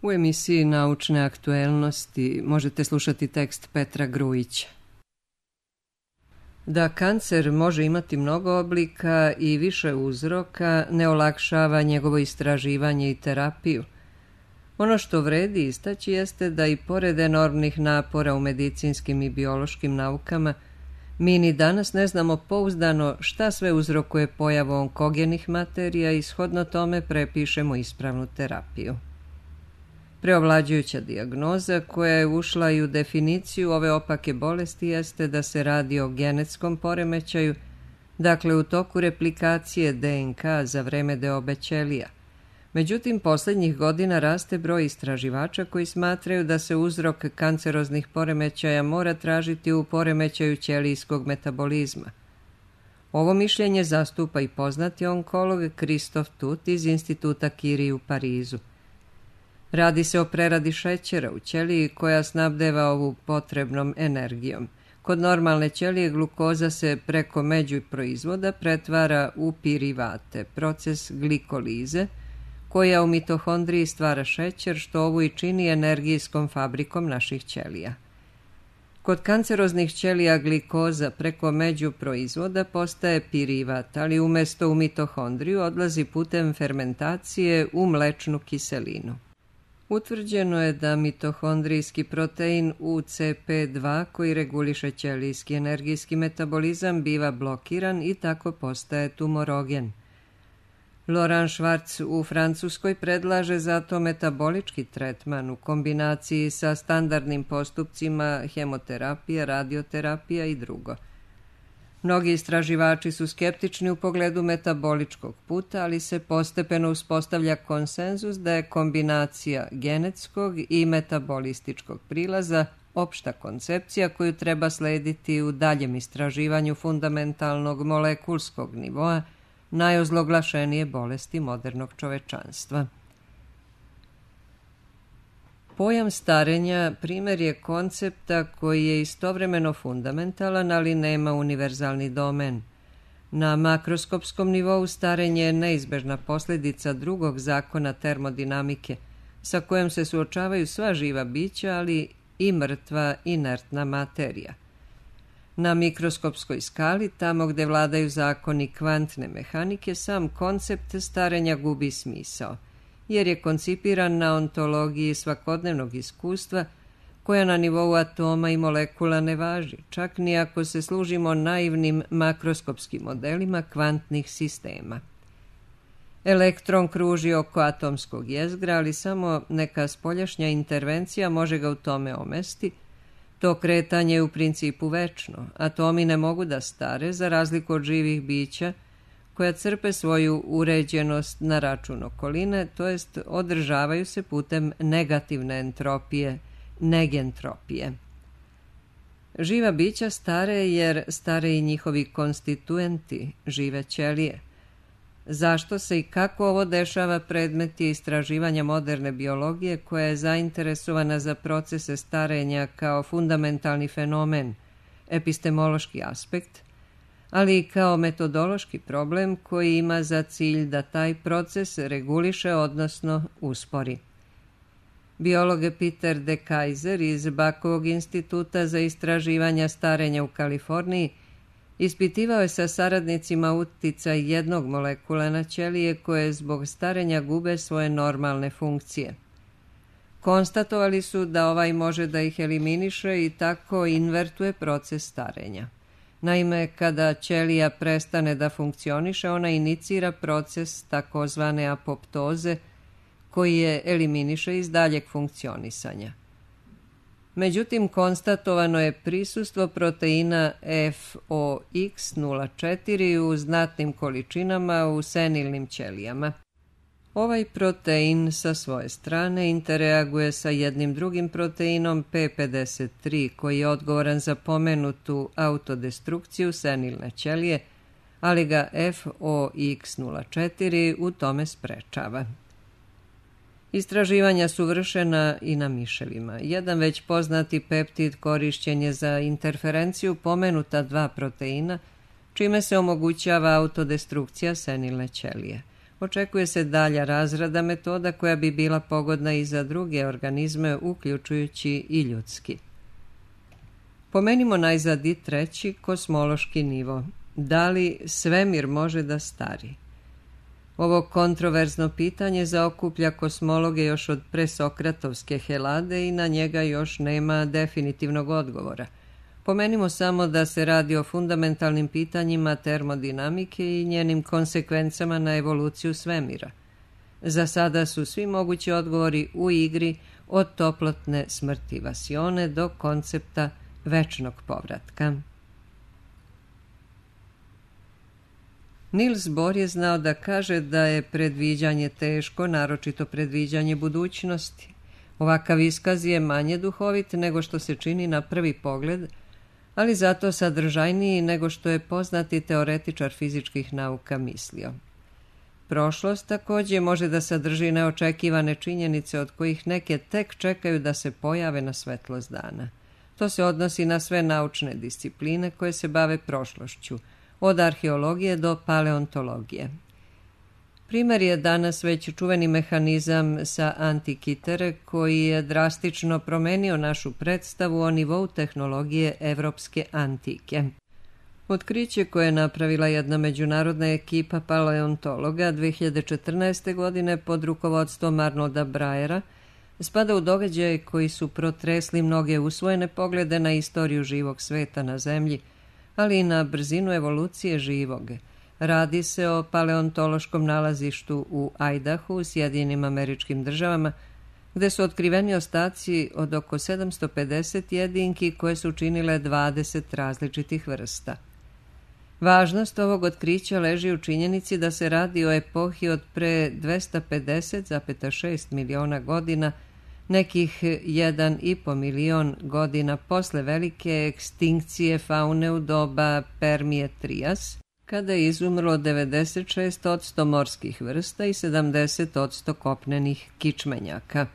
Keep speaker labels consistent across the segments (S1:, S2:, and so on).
S1: U emisiji Naučne aktuelnosti možete slušati tekst Petra Grujića. Da kancer može imati mnogo oblika i više uzroka ne olakšava njegovo istraživanje i terapiju. Ono što vredi istaći jeste da i pored enormnih napora u medicinskim i biološkim naukama, mi ni danas ne znamo pouzdano šta sve uzrokuje pojavu onkogenih materija i shodno tome prepišemo ispravnu terapiju. Preovlađujuća dijagnoza koja je ušla i u definiciju ove opake bolesti jeste da se radi o genetskom poremećaju, dakle u toku replikacije DNK za vreme deobe ćelija. Međutim, posljednjih godina raste broj istraživača koji smatraju da se uzrok kanceroznih poremećaja mora tražiti u poremećaju ćelijskog metabolizma. Ovo mišljenje zastupa i poznati onkolog Christophe Tut iz Instituta Curie u Parizu. Radi se o preradi šećera u ćeliji koja snabdeva ovu potrebnom energijom. Kod normalne ćelije glukoza se preko međuproizvoda pretvara u pirivate, proces glikolize, koja u mitohondriji stvara šećer, što ovu i čini energijskom fabrikom naših ćelija. Kod kanceroznih ćelija glikoza preko međuproizvoda postaje pirivat, ali umjesto u mitohondriju odlazi putem fermentacije u mlečnu kiselinu. Utvrđeno je da mitohondrijski protein UCP2 koji reguliše ćelijski energijski metabolizam biva blokiran i tako postaje tumorogen. Laurent Schwartz u Francuskoj predlaže zato metabolički tretman u kombinaciji sa standardnim postupcima hemoterapije, radioterapija i drugo. Mnogi istraživači su skeptični u pogledu metaboličkog puta, ali se postepeno uspostavlja konsenzus da je kombinacija genetskog i metabolističkog prilaza opšta koncepcija koju treba slediti u daljem istraživanju fundamentalnog molekulskog nivoa najozloglašenije bolesti modernog čovečanstva. Pojam starenja primjer je koncepta koji je istovremeno fundamentalan, ali nema univerzalni domen. Na makroskopskom nivou starenje je neizbežna posljedica drugog zakona termodinamike, sa kojom se suočavaju sva živa bića, ali i mrtva inertna materija. Na mikroskopskoj skali, tamo gdje vladaju zakoni kvantne mehanike, sam koncept starenja gubi smisao, jer je koncipiran na ontologiji svakodnevnog iskustva koja na nivou atoma i molekula ne važi, čak ni ako se služimo naivnim makroskopskim modelima kvantnih sistema. Elektron kruži oko atomskog jezgra, ali samo neka spoljašnja intervencija može ga u tome omesti. To kretanje je u principu večno. Atomi ne mogu da stare, za razliku od živih bića, koja crpe svoju uređenost na račun okoline, to jest održavaju se putem negativne entropije, negentropije. Živa bića stare jer stare i njihovi konstituenti, žive ćelije. Zašto se i kako ovo dešava predmet je istraživanja moderne biologije koja je zainteresovana za procese starenja kao fundamentalni fenomen, epistemološki aspekt, ali i kao metodološki problem koji ima za cilj da taj proces reguliše, odnosno uspori. Biolog Peter de Keyser iz Bachovog instituta za istraživanja starenja u Kaliforniji ispitivao je sa saradnicima uticaj jednog molekula na ćelije koje zbog starenja gube svoje normalne funkcije. Konstatovali su da ovaj može da ih eliminiše i tako invertuje proces starenja. Naime, kada ćelija prestane da funkcioniše, ona inicira proces takozvane apoptoze koji je eliminiše iz daljeg funkcionisanja. Međutim, konstatovano je prisustvo proteina FOX04 u znatnim količinama u senilnim ćelijama. Ovaj protein sa svoje strane interaguje sa jednim drugim proteinom P53 koji je odgovoran za pomenutu autodestrukciju senilne ćelije, ali ga FOX04 u tome sprečava. Istraživanja su vršena i na miševima. Jedan već poznati peptid korišćen je za interferenciju pomenuta dva proteina, čime se omogućava autodestrukcija senilne ćelije. Očekuje se dalja razrada metoda koja bi bila pogodna i za druge organizme, uključujući i ljudski. Pomenimo najzad i treći, kosmološki nivo. Da li svemir može da stari? Ovo kontroverzno pitanje zaokuplja kosmologe još od presokratovske Helade i na njega još nema definitivnog odgovora. Pomenimo samo da se radi o fundamentalnim pitanjima termodinamike i njenim konsekvencama na evoluciju svemira. Za sada su svi mogući odgovori u igri, od toplotne smrti vasione do koncepta večnog povratka. Niels Bohr je znao da kaže da je predviđanje teško, naročito predviđanje budućnosti. Ovakav iskaz je manje duhovit nego što se čini na prvi pogled, ali zato sadržajniji nego što je poznati teoretičar fizičkih nauka mislio. Prošlost također može da sadrži neočekivane činjenice od kojih neke tek čekaju da se pojave na svetlost dana. To se odnosi na sve naučne discipline koje se bave prošlošću, od arheologije do paleontologije. Primer je danas već čuveni mehanizam sa Antikythera koji je drastično promenio našu predstavu o nivou tehnologije evropske antike. Otkriće koje je napravila jedna međunarodna ekipa paleontologa 2014. godine pod rukovodstvom Arnolda Breyera spada u događaje koji su protresli mnoge usvojene poglede na istoriju živog sveta na Zemlji, ali i na brzinu evolucije živog. Radi se o paleontološkom nalazištu u Idahu u Sjedinjenim Američkim Državama, gde su otkriveni ostaci od oko 750 jedinki koje su činile 20 različitih vrsta. Važnost ovog otkrića leži u činjenici da se radi o epohi od pre 250,6 miliona godina, nekih 1,5 milion godina posle velike ekstinkcije faune u doba Permije-Trias, kada je izumrlo 96% morskih vrsta i 70% kopnenih kičmenjaka.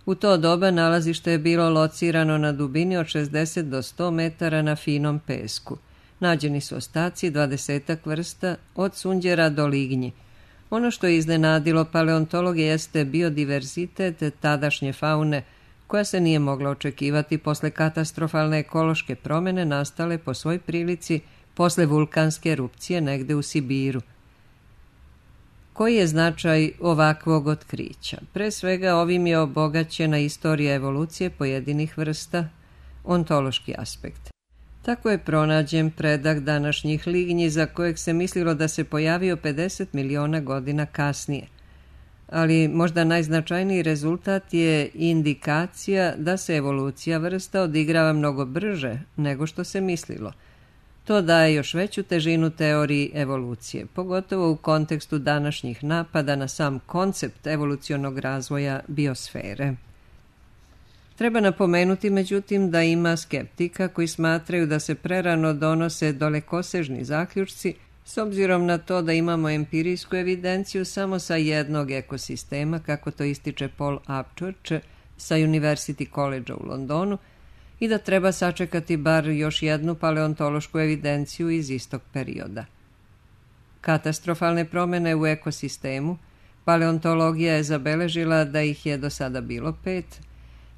S1: U to doba nalazište je bilo locirano na dubini od 60 do 100 metara na finom pesku. Nađeni su ostaci 20 vrsta, od sunđera do lignji. Ono što je iznenadilo paleontologe jeste biodiverzitet tadašnje faune, koja se nije mogla očekivati posle katastrofalne ekološke promene nastale po svoj prilici posle vulkanske erupcije negde u Sibiru. Koji je značaj ovakvog otkrića? Pre svega ovim je obogaćena istorija evolucije pojedinih vrsta, ontološki aspekt. Tako je pronađen predak današnjih lignji za kojeg se mislilo da se pojavio 50 miliona godina kasnije. Ali možda najznačajniji rezultat je indikacija da se evolucija vrsta odigrava mnogo brže nego što se mislilo. To daje još veću težinu teoriji evolucije, pogotovo u kontekstu današnjih napada na sam koncept evolucionog razvoja biosfere. Treba napomenuti, međutim, da ima skeptika koji smatraju da se prerano donose dalekosežni zaključci s obzirom na to da imamo empirijsku evidenciju samo sa jednog ekosistema, kako to ističe Paul Upchurch sa University College u Londonu, i da treba sačekati bar još jednu paleontološku evidenciju iz istog perioda. Katastrofalne promene u ekosistemu, paleontologija je zabeležila da ih je do sada bilo 5,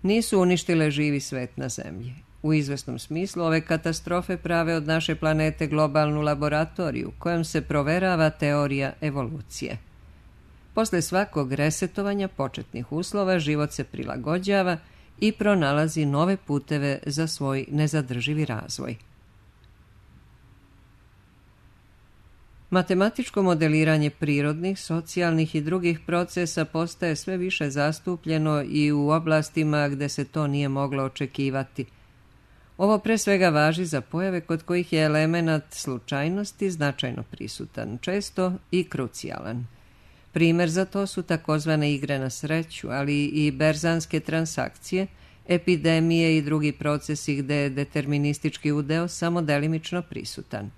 S1: nisu uništile živi svet na Zemlji. U izvesnom smislu ove katastrofe prave od naše planete globalnu laboratoriju kojom se proverava teorija evolucije. Posle svakog resetovanja početnih uslova život se prilagođava i pronalazi nove puteve za svoj nezadrživi razvoj. Matematičko modeliranje prirodnih, socijalnih i drugih procesa postaje sve više zastupljeno i u oblastima gde se to nije moglo očekivati. Ovo pre svega važi za pojave kod kojih je elemenat slučajnosti značajno prisutan, često i krucijalan. Primer za to su takozvane igre na sreću, ali i berzanske transakcije, epidemije i drugi procesi gde je deterministički udeo samo delimično prisutan.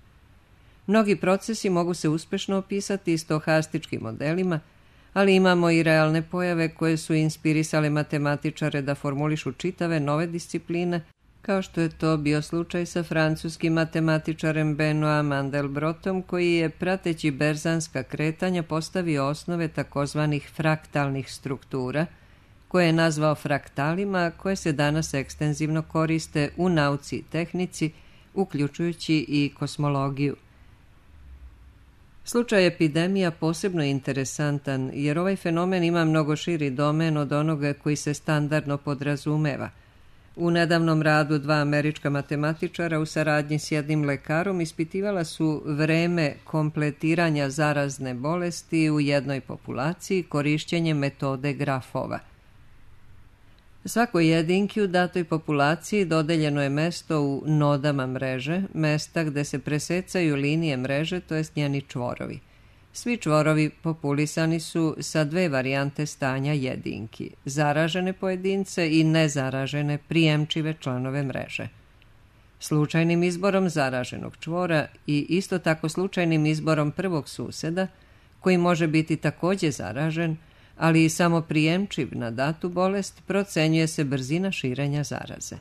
S1: Mnogi procesi mogu se uspešno opisati stohastičkim modelima, ali imamo i realne pojave koje su inspirisale matematičare da formulišu čitave nove discipline, kao što je to bio slučaj sa francuskim matematičarem Benoît Mandelbrotom, koji je, prateći berzanska kretanja, postavio osnove takozvanih fraktalnih struktura, koje je nazvao fraktalima, koje se danas ekstenzivno koriste u nauci i tehnici, uključujući i kosmologiju. Slučaj epidemija posebno je interesantan, jer ovaj fenomen ima mnogo širi domen od onoga koji se standardno podrazumeva. U nedavnom radu 2 američka matematičara u saradnji s jednim lekarom ispitivala su vreme kompletiranja zarazne bolesti u jednoj populaciji korišćenjem metode grafova. Svakoj jedinki u datoj populaciji dodeljeno je mesto u nodama mreže, mesta gde se presecaju linije mreže, to jest njeni čvorovi. Svi čvorovi populisani su sa 2 varijante stanja jedinki, zaražene pojedince i nezaražene prijemčive članove mreže. Slučajnim izborom zaraženog čvora i isto tako slučajnim izborom prvog suseda, koji može biti takođe zaražen, ali i samo prijemčiv na datu bolest, procenjuje se brzina širenja zaraze.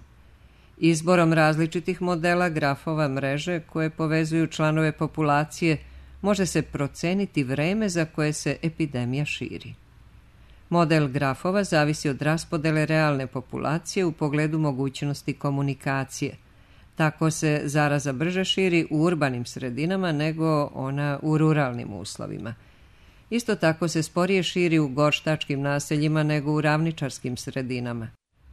S1: Izborom različitih modela grafova mreže koje povezuju članove populacije može se proceniti vreme za koje se epidemija širi. Model grafova zavisi od raspodele realne populacije u pogledu mogućnosti komunikacije. Tako se zaraza brže širi u urbanim sredinama nego ona u ruralnim uslovima. Isto tako se sporije širi u gorštačkim naseljima nego u ravničarskim sredinama.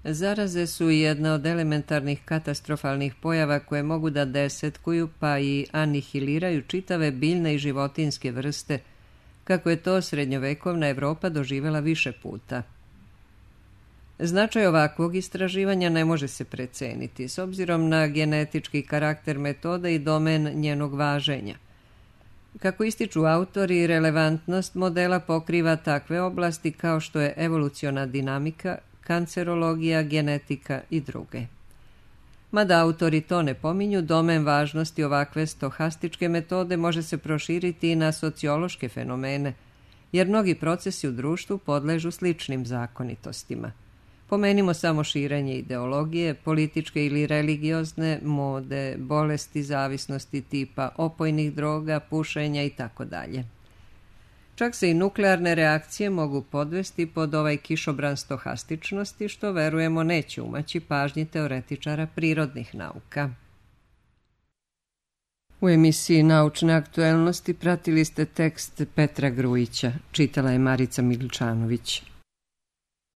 S1: Zaraze su jedna od elementarnih katastrofalnih pojava koje mogu da desetkuju pa i anihiliraju čitave biljne i životinjske vrste, kako je to srednjovekovna Evropa doživela više puta. Značaj ovakvog istraživanja ne može se preceniti, s obzirom na genetički karakter metode i domen njenog važenja. Kako ističu autori, relevantnost modela pokriva takve oblasti kao što je evoluciona dinamika, kancerologija, genetika i druge. Mada autori to ne pominju, domen važnosti ovakve stohastičke metode može se proširiti i na sociološke fenomene, jer mnogi procesi u društvu podležu sličnim zakonitostima. Pomenimo samo širenje ideologije, političke ili religiozne, mode, bolesti, zavisnosti tipa opojnih droga, pušenja itd. Čak se i nuklearne reakcije mogu podvesti pod ovaj kišobran stohastičnosti, što verujemo neće umaći pažnji teoretičara prirodnih nauka. U emisiji Naučne aktuelnosti pratili ste tekst Petra Grujića, čitala je Marica Miličanović.